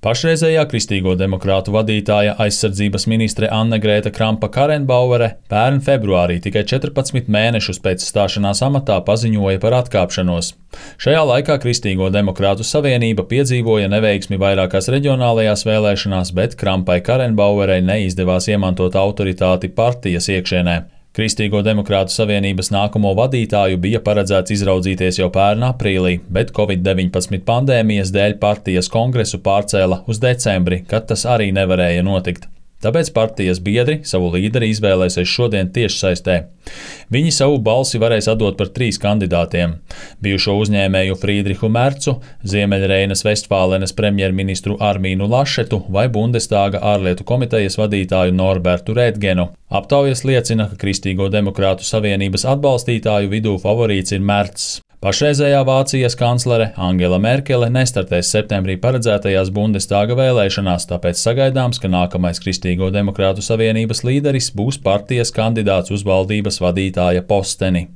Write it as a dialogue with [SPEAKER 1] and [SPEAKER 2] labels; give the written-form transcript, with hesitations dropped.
[SPEAKER 1] Pašreizējā Kristīgo demokrātu vadītāja aizsardzības ministre Anne-Grēta Krampa-Karrenbauere pērn februārī, tikai 14 mēnešus pēc stāšanās amatā, paziņoja par atkāpšanos. Šajā laikā Kristīgo demokrātu savienība piedzīvoja neveiksmi vairākās reģionālajās vēlēšanās, bet Krampai-Karrenbauerei neizdevās iemantot autoritāti partijas iekšienē. Kristīgo demokrātu savienības nākamo vadītāju bija paredzēts izraudzīties jau pērn aprīlī, bet Covid-19 pandēmijas dēļ partijas kongresu pārcēla uz decembri, kad tas arī nevarēja notikt. Tāpēc partijas biedri savu līderi izvēlēsies šodien tiešsaistē. Viņi savu balsi varēs atdot par 3 kandidātiem – bijušo uzņēmēju Frīdrihu Mercu, Ziemeļreinas Vestfālenes premjerministru Armīnu Lašetu vai Bundestāga ārlietu komitejas vadītāju Norbertu Rētgenu. Aptaujas liecina, ka Kristīgo demokrātu savienības atbalstītāju vidū favorīts ir Mercs. Pašreizējā Vācijas kanclere Angela Merkele nestartēs septembrī paredzētajās Bundestāga vēlēšanās, tāpēc sagaidāms, ka nākamais Kristīgo demokrātu savienības līderis būs partijas kandidāts uz valdības vadītāja posteni.